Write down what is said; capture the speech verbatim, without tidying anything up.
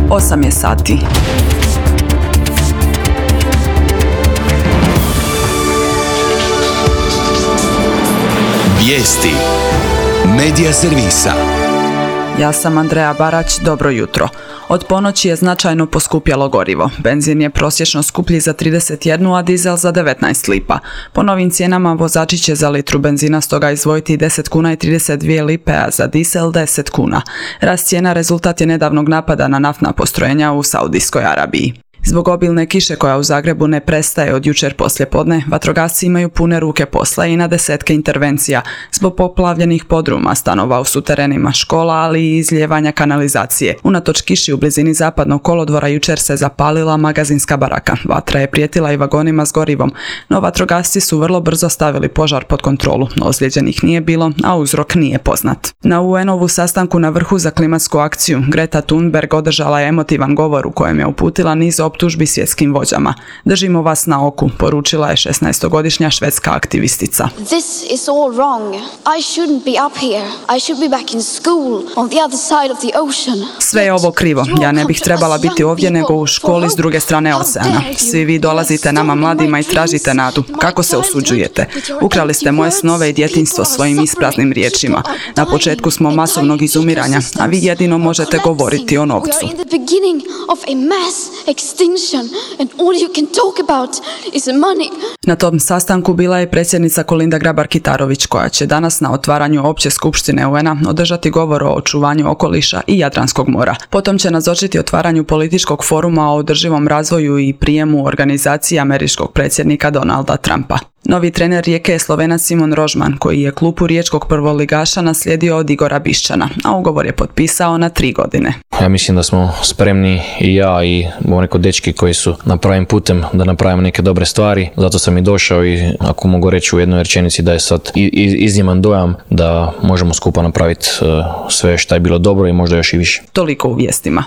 osam je sati. Vijesti Medija servisa. Ja sam Andreja Barać, dobro jutro. Od ponoći je značajno poskupjelo gorivo. Benzin je prosječno skuplji za trideset jedan, a dizel za devetnaest lipa. Po novim cijenama vozači će za litru benzina stoga izdvojiti deset kuna i trideset dvije lipe, a za dizel deset kuna. Rast cijena rezultat je nedavnog napada na naftna postrojenja u Saudijskoj Arabiji. Zbog obilne kiše koja u Zagrebu ne prestaje od jučer poslijepodne, vatrogasci imaju pune ruke posla i na desetke intervencija zbog poplavljenih podruma, stanova u suterenima škola, ali i izlijevanja kanalizacije. Unatoč kiši u blizini zapadnog kolodvora jučer se zapalila magazinska baraka. Vatra je prijetila i vagonima s gorivom, no vatrogasci su vrlo brzo stavili požar pod kontrolu. Ozlijeđenih nije bilo, a uzrok nije poznat. Na U N-ovu sastanku na vrhu za klimatsku akciju Greta Thunberg održala je emotivan govor u kojem je uputila niz optužbi svjetskim vođama. Držimo vas na oku, poručila je šesnaestogodišnja švedska aktivistica. This is all wrong. I shouldn't be up here. I should be back in school on the other side of the ocean. Sve je ovo krivo. Ja ne bih trebala biti ovdje nego u školi s druge strane oceana. Svi vi dolazite nama mladima i tražite nadu. Kako se osuđujete? Ukrali ste moje snove i djetinjstvo svojim ispraznim riječima. Na početku smo masovnog izumiranja, a vi jedino možete govoriti o novcu. And all you can talk about is money. Na tom sastanku bila je predsjednica Kolinda Grabar-Kitarović, koja će danas na otvaranju opće skupštine U N-a održati govor o očuvanju okoliša i Jadranskog mora. Potom će nazočiti otvaranju političkog foruma o održivom razvoju i prijemu organizacije američkog predsjednika Donalda Trumpa. Novi trener Rijeke je Slovenac Simon Rožman, koji je klupu riječkog prvoligaša naslijedio od Igora Bišćana, a ugovor je potpisao na tri godine. Ja mislim da smo spremni i ja i bomo rekao dečki koji su na pravim putem da napravimo neke dobre stvari. Zato sam i došao i ako mogu reći u jednoj rečenici da je sad izniman dojam da možemo skupa napraviti sve što je bilo dobro i možda još i više. Toliko u vijestima.